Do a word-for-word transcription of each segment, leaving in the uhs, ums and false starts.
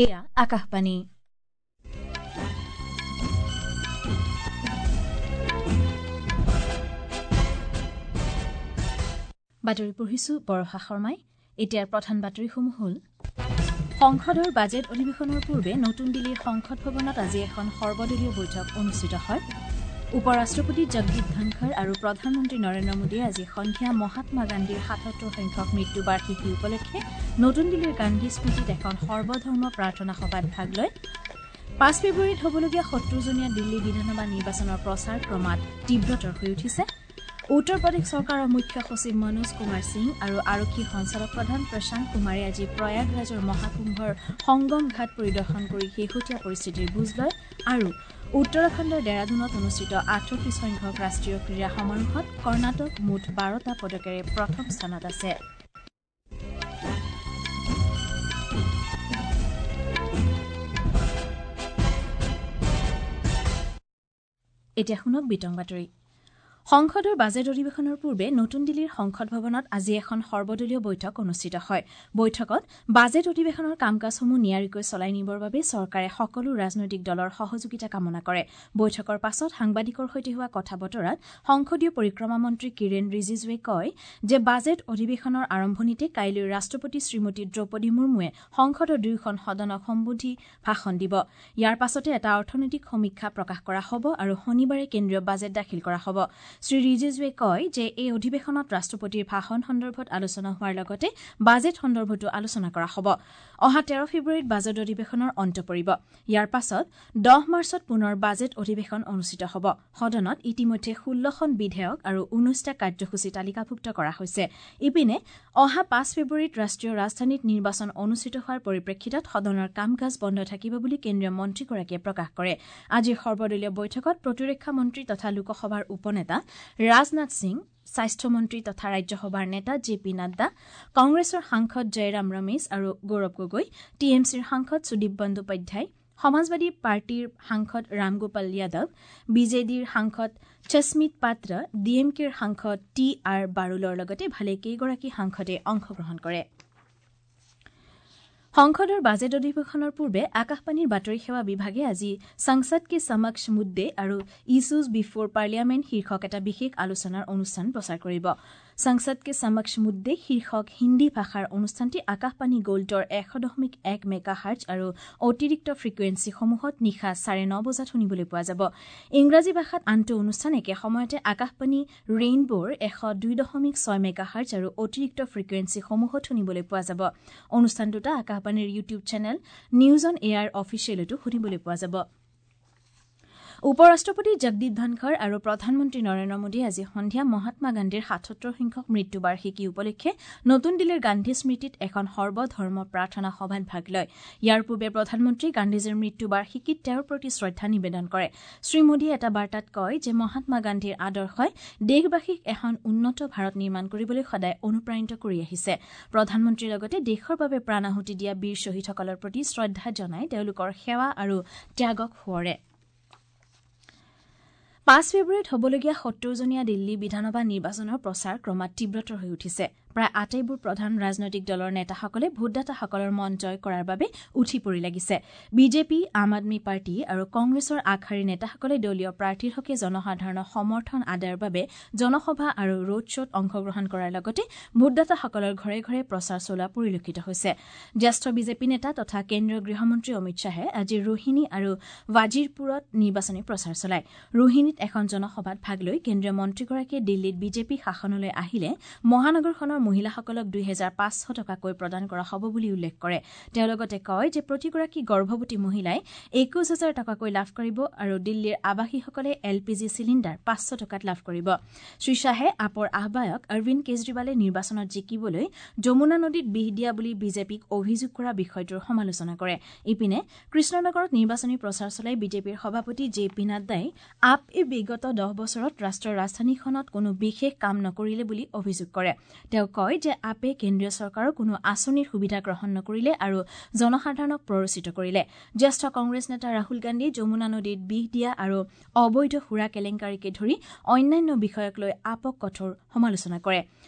এয়া আকাশবাণী। বাতৰি পঢ়িছো বৰষা শৰ্মাই। এতিয়াৰ প্ৰধান বাতৰিসমূহ হ'ল: সংসদৰ বাজেট অধিৱেশনৰ পূৰ্বে নতুন দিল্লীৰ সংসদ ভৱনত আজি এখন সৰ্বদলীয় বৈঠক অনুষ্ঠিত হয়। উপ ৰাষ্ট্ৰপতি জগদীপ ধনখৰ আৰু প্ৰধানমন্ত্ৰী নৰেন্দ্ৰ মোদীয়ে আজি সন্ধিয়া মহাত্মা গান্ধীৰ সাতসত্তৰ সংখ্যক মৃত্যু বাৰ্ষিকী উপলক্ষে নতুন দিল্লীৰ গান্ধী স্মৃতিত এখন সৰ্বধৰ্ম প্ৰাৰ্থনা সভাত ভাগ লয়। পাঁচ ফেব্ৰুৱাৰীত হ'বলগীয়া সত্তৰজনীয়া দিল্লী বিধানসভা নিৰ্বাচনৰ প্ৰচাৰ ক্ৰমাৎ তীব্ৰতৰ হৈ উঠিছে। উত্তৰ প্ৰদেশ চৰকাৰৰ মুখ্য সচিব মনোজ কুমাৰ সিং আৰু আৰক্ষী সঞ্চালক প্ৰধান প্ৰশান্ত কুমাৰে আজি প্ৰয়াগৰাজৰ মহাকুম্ভৰ সংগম ঘাট পৰিদৰ্শন কৰি শেহতীয়া পৰিস্থিতিৰ বুজ লয়। আৰু উত্তৰাখণ্ডৰ ডেৰাডুনত অনুষ্ঠিত আঠত্ৰিশ সংখ্যক ৰাষ্ট্ৰীয় ক্ৰীড়া সমাৰোহত কৰ্ণাটক মুঠ বাৰটা পদকেৰে প্ৰথম স্থানত আছে। এতিয়া শুনক বিতং বাতৰি। সংসদৰ বাজেট অধিৱেশনৰ পূৰ্বে নতুন দিল্লীৰ সংসদ ভৱনত আজি এখন সৰ্বদলীয় বৈঠক অনুষ্ঠিত হয়। বৈঠকত বাজেট অধিৱেশনৰ কাম কাজসমূহ নিয়াৰিকৈ চলাই নিবৰ বাবে চৰকাৰে সকলো ৰাজনৈতিক দলৰ সহযোগিতা কামনা কৰে। বৈঠকৰ পাছত সাংবাদিকৰ সৈতে হোৱা কথা বতৰাত সংসদীয় পৰিক্ৰমা মন্ত্ৰী কিৰেণ ৰিজিজুৱে কয় যে বাজেট অধিৱেশনৰ আৰম্ভণিতে কাইলৈ ৰাষ্ট্ৰপতি শ্ৰীমতী দ্ৰৌপদী মুৰ্মুৱে সংসদৰ দুয়োখন সদনক সম্বোধি ভাষণ দিব। ইয়াৰ পাছতে এটা অৰ্থনৈতিক সমীক্ষা প্ৰকাশ কৰা হ'ব আৰু শনিবাৰে কেন্দ্ৰীয় বাজেট দাখিল কৰা হ'ব। শ্ৰী ৰিজিজুৱে কয় যে এই অধিৱেশনত ৰাষ্ট্ৰপতিৰ ভাষণ সন্দৰ্ভত আলোচনা হোৱাৰ লগতে বাজেট সন্দৰ্ভতো আলোচনা কৰা হ'ব। অহা তেৰ ফেব্ৰুৱাৰীত বাজেট অধিৱেশনৰ অন্ত পৰিব। ইয়াৰ পাছত দহ মাৰ্চত পুনৰ বাজেট অধিৱেশন অনুষ্ঠিত হ'ব। সদনত ইতিমধ্যে ষোল্লখন বিধেয়ক আৰু ঊনৈছটা কাৰ্যসূচী তালিকাভুক্ত কৰা হৈছে। ইপিনে অহা পাঁচ ফেব্ৰুৱাৰীত ৰাষ্ট্ৰীয় ৰাজধানীত নিৰ্বাচন অনুষ্ঠিত হোৱাৰ পৰিপ্ৰেক্ষিতত সদনৰ কাম কাজ বন্ধ থাকিব বুলি কেন্দ্ৰীয় মন্ত্ৰীগৰাকীয়ে প্ৰকাশ কৰে। আজিৰ সৰ্বদলীয় বৈঠকত প্ৰতিৰক্ষা মন্ত্ৰী তথা লোকসভাৰ উপনেতা ৰাজনাথ সিং, স্বাস্থ্যমন্ত্ৰী তথা ৰাজ্যসভাৰ নেতা জে পি নাড্ডা, কংগ্ৰেছৰ সাংসদ জয়ৰাম ৰমেশ আৰু গৌৰৱ গগৈ, টি এম চিৰ সাংসদ সুদীপ বন্দোপাধ্যায়, সমাজবাদী পাৰ্টীৰ সাংসদ ৰামগোপাল যাদৱ, বি জে ডিৰ সাংসদ সস্মিত পাত্ৰ, ডি এম কেৰ সাংসদ টি আৰ বাৰুলৰ লগতে ভালেকেইগৰাকী সাংসদে অংশগ্ৰহণ কৰে। সংসদৰ বাজেট অধিৱেশনৰ পূৰ্বে আকাশবাণীৰ বাতৰি সেৱা বিভাগে আজি সংসদ কে সমক্ষ মুদ্দে আৰু ইছ্যুজ বিফোৰ পাৰ্লিয়ামেণ্ট শীৰ্ষক এটা বিশেষ আলোচনাৰ অনুষ্ঠান প্ৰচাৰ কৰিব। সংসদ কে সমক্ষ মুদ্দে শীৰ্ষক হিন্দী ভাষাৰ অনুষ্ঠানটি আকাশবাণী গোল্ডৰ এশ দশমিক এক মেগা হাৰ্জ আৰু অতিৰিক্ত ফ্ৰিকুৱেঞ্চিসমূহত নিশা চাৰে ন বজাত শুনিবলৈ পোৱা যাব। ইংৰাজী ভাষাত আনটো অনুষ্ঠান একে সময়তে আকাশবাণী ৰেইনবোৰ এশ দুই দশমিক ছয় মেগা হাৰ্জ আৰু অতিৰিক্ত ফ্ৰিকুৱেঞ্চিসমূহত শুনিবলৈ পোৱা যাব। অনুষ্ঠান দুটা আকাশবাণীৰ YouTube channel news on air অফিচিয়েলতো শুনিবলৈ পোৱা যাব। উপ ৰাষ্ট্ৰপতি জগদীপ ধনখৰ আৰু প্ৰধানমন্ত্ৰী নৰেন্দ্ৰ মোদীয়ে আজি সন্ধিয়া মহাত্মা গান্ধীৰ সাতসত্তৰ সংখ্যক মৃত্যু বাৰ্ষিকী উপলক্ষে নতুন দিল্লীৰ গান্ধী স্মৃতিত এখন সৰ্বধৰ্ম প্ৰাৰ্থনা সভাত ভাগ লয়। ইয়াৰ পূৰ্বে প্ৰধানমন্ত্ৰী গান্ধীজীৰ মৃত্যু বাৰ্ষিকীত তেওঁৰ প্ৰতি শ্ৰদ্ধা নিবেদন কৰে। শ্ৰী মোদীয়ে এটা বাৰ্তাত কয় যে মহাত্মা গান্ধীৰ আদৰ্শই দেশবাসীক এখন উন্নত ভাৰত নিৰ্মাণ কৰিবলৈ সদায় অনুপ্ৰাণিত কৰি আহিছে। প্ৰধানমন্ত্ৰীৰ লগতে দেশৰ বাবে প্ৰাণ আহুতি দিয়া বীৰ শ্বহীদসকলৰ প্ৰতি শ্ৰদ্ধা জনাই তেওঁলোকৰ সেৱা আৰু ত্যাগক সোঁৱৰে। পাঁচ ফেব্ৰুৱাৰীত হ'বলগীয়া সত্তৰজনীয়া দিল্লী বিধানসভা নিৰ্বাচনৰ প্ৰচাৰ ক্ৰমাৎ তীব্ৰতৰ হৈ উঠিছে। প্ৰায় আটাইবোৰ প্ৰধান ৰাজনৈতিক দলৰ নেতাসকলে ভোটদাতাসকলৰ মন জয় কৰাৰ বাবে উঠি পৰি লাগিছে। বিজেপি, আম আদমী পাৰ্টী আৰু কংগ্ৰেছৰ আগশাৰীৰ নেতাসকলে দলীয় প্ৰাৰ্থীৰ হকে জনসাধাৰণৰ সমৰ্থন আদায়ৰ বাবে জনসভা আৰু ৰোড শ্ব'ত অংশগ্ৰহণ কৰাৰ লগতে ভোটদাতাসকলৰ ঘৰে ঘৰে প্ৰচাৰ চলোৱা পৰিলক্ষিত হৈছে। জ্যেষ্ঠ বিজেপি নেতা তথা কেন্দ্ৰীয় গৃহমন্ত্ৰী অমিত শ্বাহে আজি ৰোহিণী আৰু ৱাজিৰপুৰত নিৰ্বাচনী প্ৰচাৰ চলায়। ৰোহিণীত এখন জনসভাত ভাগ লৈ কেন্দ্ৰীয় মন্ত্ৰীগৰাকীয়ে দিল্লীত বিজেপি শাসনলৈ আহিলে মহানগৰখনৰ মহিলাসকলক দুই হেজাৰ পাঁচশ টকাকৈ প্ৰদান কৰা হ'ব বুলি উল্লেখ কৰে। তেওঁ লগতে কয় যে প্ৰতিগৰাকী গৰ্ভৱতী মহিলাই একৈশ হাজাৰ টকাকৈ লাভ কৰিব আৰু দিল্লীৰ আৱাসীসকলে এল পি জি চিলিণ্ডাৰ পাঁচশ টকাত লাভ কৰিব। শ্ৰী শ্বাহে আপৰ আহ্বায়ক অৰবিন্দ কেজৰিৱালে নিৰ্বাচনত জিকিবলৈ যমুনা নদীত বিহ দিয়া বুলি বিজেপিক অভিযোগ কৰা বিষয়টোৰ সমালোচনা কৰে। ইপিনে কৃষ্ণনগৰত নিৰ্বাচনী প্ৰচাৰ চলাই বিজেপিৰ সভাপতি জে পি নাড্ডাই আপ বিগত দহ বছৰত ৰাষ্ট্ৰৰ ৰাজধানীখনত কোনো বিশেষ কাম নকৰিলে বুলি অভিযোগ কৰে। তেওঁ কয় যে আপে কেন্দ্ৰীয় চৰকাৰৰ কোনো আঁচনিৰ সুবিধা গ্ৰহণ নকৰিলে আৰু জনসাধাৰণক প্ৰৰোচিত কৰিলে। জ্যেষ্ঠ কংগ্ৰেছ নেতা ৰাহুল গান্ধীয়ে যমুনা নদীত বিষ দিয়া আৰু অবৈধ সুৰা কেলেংকাৰীকে ধৰি অন্যান্য বিষয়ক লৈ আপক কঠোৰ সমালোচনা কৰে।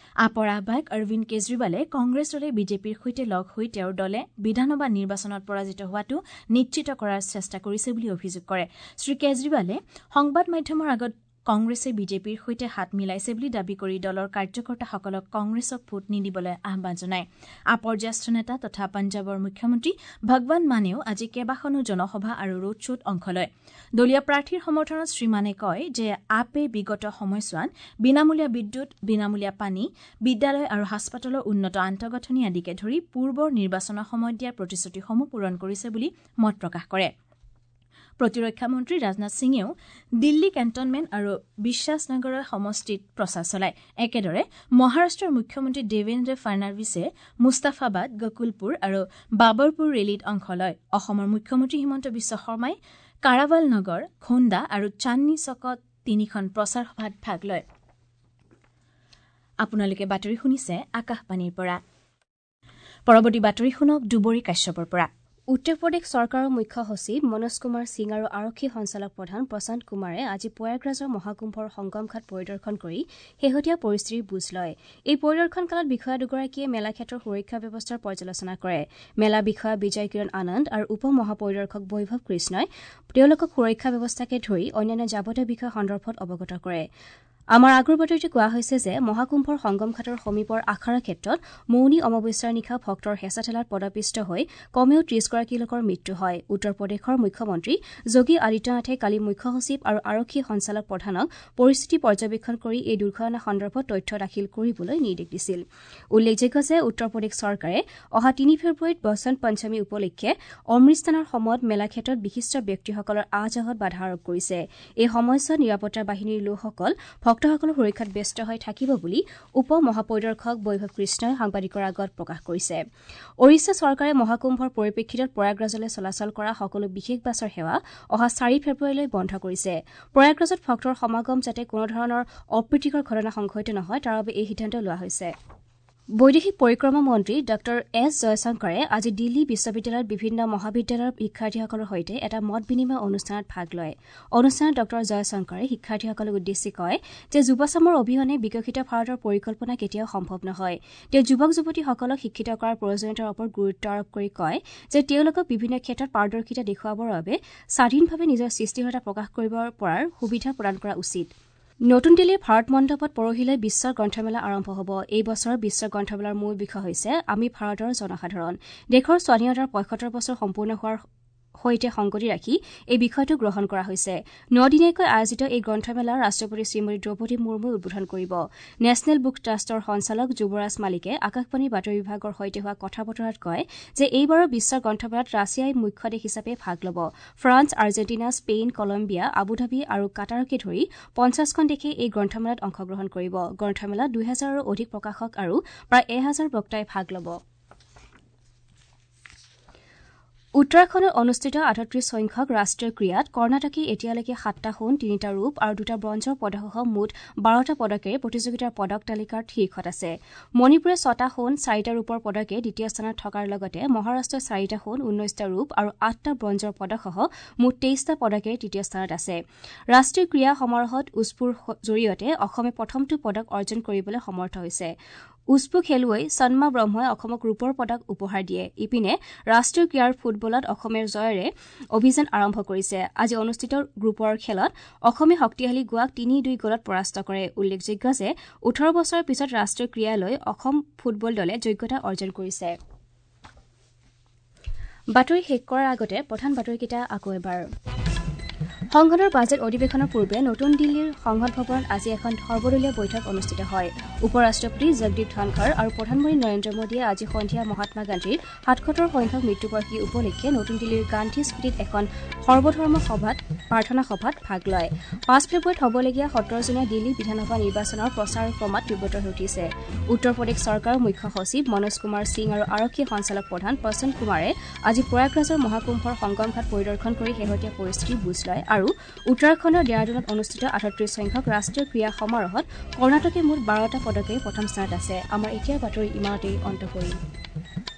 আপৰ আহ্বায়ক অৰবিন্দ কেজৰিৱালে কংগ্ৰেছ দলে বিজেপিৰ সৈতে লগ হৈ তেওঁৰ দলে বিধানসভা নিৰ্বাচনত পৰাজিত হোৱাটো নিশ্চিত কৰাৰ চেষ্টা কৰিছে বুলি অভিযোগ কৰে। শ্ৰীকেজৰিৱালে সংবাদ মাধ্যমৰ আগত কংগ্ৰেছে বিজেপিৰ সৈতে হাত মিলাইছে বুলি দাবী কৰি দলৰ কাৰ্যকৰ্তাসকলক কংগ্ৰেছক ভোট নিদিবলৈ আহ্বান জনায়। আপৰ জ্যেষ্ঠ নেতা তথা পঞ্জাৱৰ মুখ্যমন্ত্ৰী ভগৱান মানেও আজি কেইবাখনো জনসভা আৰু ৰোড শ্ব'ত অংশ লয়। দলীয় প্ৰাৰ্থীৰ সমৰ্থনত শ্ৰীমানে কয় যে আপে বিগত সময়ছোৱাত বিনামূলীয়া বিদ্যুৎ, বিনামূলীয়া পানী, বিদ্যালয় আৰু হাস্পতালৰ উন্নত আন্তঃগাঁথনি আদিকে ধৰি পূৰ্বৰ নিৰ্বাচনৰ সময়ত দিয়া প্ৰতিশ্ৰুতিসমূহ পূৰণ কৰিছে বুলি মত প্ৰকাশ কৰে। প্ৰতিৰক্ষা মন্ত্ৰী ৰাজনাথ সিঙেও দিল্লী কেণ্টনমেণ্ট আৰু বিশ্বাসনগৰৰ সমষ্টিত প্ৰচাৰ চলায়। একেদৰে মহাৰাষ্ট্ৰৰ মুখ্যমন্ত্ৰী দেৱেন্দ্ৰ ফাড়নাভিছে মুস্তাফাবাদ, গকুলপুৰ আৰু বাবৰপুৰ ৰেলীত অংশ লয়। অসমৰ মুখ্যমন্ত্ৰী হিমন্ত বিশ্ব শৰ্মাই কাৰাৱাল নগৰ, খোন্দা আৰু চান্দনী চকত তিনিখন প্ৰচাৰ সভাত ভাগ লয়। আপোনালোকে বাতৰি শুনিছে আকাশবাণীৰ পৰা। পৰৱৰ্তী বাতৰি শুনক দুবৰী কাশ্যপৰ পৰা। উত্তৰ প্ৰদেশ চৰকাৰৰ মুখ্য সচিব মনোজ কুমাৰ সিং আৰু আৰক্ষী সঞ্চালক প্ৰধান প্ৰশান্ত কুমাৰে আজি প্ৰয়াগৰাজৰ মহাকুম্ভৰ সংগমঘাট পৰিদৰ্শন কৰি শেহতীয়া পৰিস্থিতিৰ বুজ লয়। এই পৰিদৰ্শন কালত বিষয়া দুগৰাকীয়ে মেলা ক্ষেত্ৰৰ সুৰক্ষা ব্যৱস্থাৰ পৰ্যালোচনা কৰে। মেলা বিষয়া বিজয় কিৰণ আনন্দ আৰু উপ মহাপৰিদৰ্শক বৈভৱ কৃষ্ণই তেওঁলোকক সুৰক্ষা ব্যৱস্থাকে ধৰি অন্যান্য যাৱতীয় বিষয় সন্দৰ্ভত অৱগত কৰে। আমাৰ আগৰ বাতৰিত কোৱা হৈছে যে মহাকুম্ভৰ সংগমঘাটৰ সমীপৰ আখাৰা ক্ষেত্ৰত মৌনী অমাৱস্যাৰ নিশা ভক্তৰ হেঁচা ঠেলাত পদপিষ্ট হৈ কমেও ত্ৰিশগৰাকী লোকৰ মৃত্যু হয়। উত্তৰ প্ৰদেশৰ মুখ্যমন্ত্ৰী যোগী আদিত্যনাথে কালি মুখ্য সচিব আৰু আৰক্ষী সঞ্চালক প্ৰধানক পৰিস্থিতি পৰ্যবেক্ষণ কৰি এই দুৰ্ঘটনা সন্দৰ্ভত তথ্য দাখিল কৰিবলৈ নিৰ্দেশ দিছিল। উল্লেখযোগ্য যে উত্তৰ প্ৰদেশ চৰকাৰে অহা তিনি ফেব্ৰুৱাৰীত বসন্ত পঞ্চমী উপলক্ষে অমৃতস্থানৰ সময়ত মেলাক্ষেত্ৰত বিশিষ্ট ব্যক্তিসকলৰ আহ যাহত বাধা আৰোপ কৰিছে। এই সময়ছোৱাত নিৰাপত্তা বাহিনীৰ লোকসকল ভক্তসকলৰ সুৰক্ষাত ব্যস্ত হৈ থাকিব বুলি উপ মহাপৰিদৰ্শক বৈভৱ কৃষ্ণই সাংবাদিকৰ আগত প্ৰকাশ কৰিছে। ওড়িশা চৰকাৰে মহাকুম্ভৰ পৰিপ্ৰেক্ষিতত প্ৰয়াগৰাজলৈ চলাচল কৰা সকলো বিশেষ বাছৰ সেৱা অহা চাৰি ফেব্ৰুৱাৰীলৈ বন্ধ কৰিছে। প্ৰয়াগৰাজত ভক্তৰ সমাগম যাতে কোনোধৰণৰ অপ্ৰীতিকৰ ঘটনা সংঘটিত নহয় তাৰ বাবে এই সিদ্ধান্ত লোৱা হৈছে। বৈদেশিক পৰিক্ৰমা মন্ত্ৰী ডাঃ এছ জয়শংকৰে আজি দিল্লী বিশ্ববিদ্যালয়ত বিভিন্ন মহাবিদ্যালয়ৰ শিক্ষাৰ্থীসকলৰ সৈতে এটা মত বিনিময় অনুষ্ঠানত ভাগ লয়। অনুষ্ঠানত ডাঃ জয়শংকৰে শিক্ষাৰ্থীসকলক উদ্দেশ্যি কয় যে যুৱচামৰ অবিহনে বিকশিত ভাৰতৰ পৰিকল্পনা কেতিয়াও সম্ভৱ নহয়। তেওঁ যুৱক যুৱতীসকলক শিক্ষিত কৰাৰ প্ৰয়োজনীয়তাৰ ওপৰত গুৰুত্ব আৰোপ কৰি কয় যে তেওঁলোকক বিভিন্ন ক্ষেত্ৰত পাৰদৰ্শিতা দেখুৱাবৰ বাবে স্বাধীনভাৱে নিজৰ সৃষ্টিশীলতা প্ৰকাশ কৰিব পৰাৰ সুবিধা প্ৰদান কৰা উচিত। নতুন দিল্লীৰ ভাৰত মণ্ডপত পৰহিলৈ বিশ্ব গ্ৰন্থমেলা আৰম্ভ হ'ব। এই বছৰ বিশ্ব গ্ৰন্থমেলাৰ মূল বিষয় হৈছে আমি ভাৰতৰ জনসাধাৰণ। দেশৰ স্বাধীনতাৰ পঁয়সত্তৰ বছৰ সম্পূৰ্ণ হোৱাৰ সৈতে সংগতি ৰাখি এই বিষয়টো গ্ৰহণ কৰা হৈছে। নদিনীয়াকৈ আয়োজিত এই গ্ৰন্থমেলা ৰাষ্ট্ৰপতি শ্ৰীমতী দ্ৰৌপদী মুৰ্মুৱে উদ্বোধন কৰিব। নেশ্যনেল বুক ট্ৰাষ্টৰ সঞ্চালক যুৱৰাজ মালিকে আকাশবাণীৰ বাতৰি বিভাগৰ সৈতে হোৱা কথা বতৰাত কয় যে এইবাৰৰ বিশ্ব গ্ৰন্থমেলাত ৰাছিয়াই মুখ্য দেশ হিচাপে ভাগ ল'ব। France, Argentina, Spain, Colombia, Abu Dhabi আৰু কাটাৰকে ধৰি পঞ্চাছখন দেশে এই গ্ৰন্থমেলাত অংশগ্ৰহণ কৰিব। গ্ৰন্থমেলাত দুহেজাৰৰো অধিক প্ৰকাশক আৰু প্ৰায় এহাজাৰ বক্তাই ভাগ ল'ব। উত্তৰাখণ্ডত অনুষ্ঠিত আঠত্ৰিশ সংখ্যক ৰাষ্ট্ৰীয় ক্ৰীড়াত কৰ্ণাটকে এতিয়ালৈকে সাতটা সোণ, তিনিটা ৰূপ আৰু দুটা ব্ৰঞ্জৰ পদকসহ মুঠ বাৰটা পদকেৰে প্ৰতিযোগিতাৰ পদক তালিকাৰ শীৰ্ষত আছে। মণিপুৰে ছটা সোণ, চাৰিটা ৰূপৰ পদকে দ্বিতীয় স্থানত থকাৰ লগতে মহাৰাষ্ট্ৰই চাৰিটা সোণ, ঊনৈছটা ৰূপ আৰু আঠটা ব্ৰঞ্জৰ পদকসহ মুঠ তেইছটা পদকেৰে তৃতীয় স্থানত আছে। ৰাষ্ট্ৰীয় ক্ৰীড়া সমাৰোহত উস্পুৰ জৰিয়তে অসমে প্ৰথমটো পদক অৰ্জন কৰিবলৈ সমৰ্থ হৈছে। উস্পু খেলুৱৈ সন্মা ব্ৰহ্মই অসমক ৰূপৰ পদক উপহাৰ দিয়ে। ইপিনে ৰাষ্ট্ৰীয় ক্ৰীড়াৰ ফুটবলত অসমে জয়েৰে অভিযান আৰম্ভ কৰিছে। আজি অনুষ্ঠিত গ্ৰুপৰ খেলত অসমে শক্তিশালী গোৱাক তিনি দুই গ'লত পৰাস্ত কৰে। উল্লেখযোগ্য যে ওঠৰ বছৰৰ পিছত ৰাষ্ট্ৰীয় ক্ৰীড়ালৈ অসম ফুটবল দলে যোগ্যতা অৰ্জন কৰিছে। বাতৰি শেষ কৰাৰ আগতে প্ৰধান বাতৰিকেইটা আকৌ এবাৰ। সংসদৰ বাজেট অধিৱেশনৰ পূৰ্বে নতুন দিল্লীৰ সংসদ ভৱনত আজি এখন সৰ্বদলীয় বৈঠক অনুষ্ঠিত হয়। উপ ৰাষ্ট্ৰপতি জগদীপ ধনখৰ আৰু প্ৰধানমন্ত্ৰী নৰেন্দ্ৰ মোদীয়ে আজি সন্ধিয়া মহাত্মা গান্ধীৰ সাতসত্তৰ সংখ্যক মৃত্যুবাৰ্ষিকী উপলক্ষে নতুন দিল্লীৰ গান্ধী স্মৃতিত এখন সৰ্বধৰ্ম সভাত প্ৰাৰ্থনা সভাত ভাগ লয়। পাঁচ ফেব্ৰুৱাৰীত হ'বলগীয়া সত্তৰজনীয়া দিল্লী বিধানসভা নিৰ্বাচনৰ প্ৰচাৰ ক্ৰমাৎ তীব্ৰতৰ হৈ উঠিছে। উত্তৰ প্ৰদেশ চৰকাৰৰ মুখ্য সচিব মনোজ কুমাৰ সিং আৰু আৰক্ষী সঞ্চালক প্ৰধান প্ৰশান্ত কুমাৰে আজি প্ৰয়াগৰাজৰ মহাকুম্ভৰ সংগমঘাট পৰিদৰ্শন কৰি শেহতীয়া পৰিস্থিতিৰ বুজ লয় আৰু উত্তৰাখণ্ডৰ ডেৰাডুনত অনুষ্ঠিত আঠত্ৰিশ সংখ্যক ৰাষ্ট্ৰীয় ক্ৰীড়া সমাৰোহত কৰ্ণাটকে মুঠ বাৰটা পদকেৰে প্ৰথম স্থানত আছে। আমাৰ এতিয়াৰ বাতৰি ইমানতেই অন্ত পৰিল।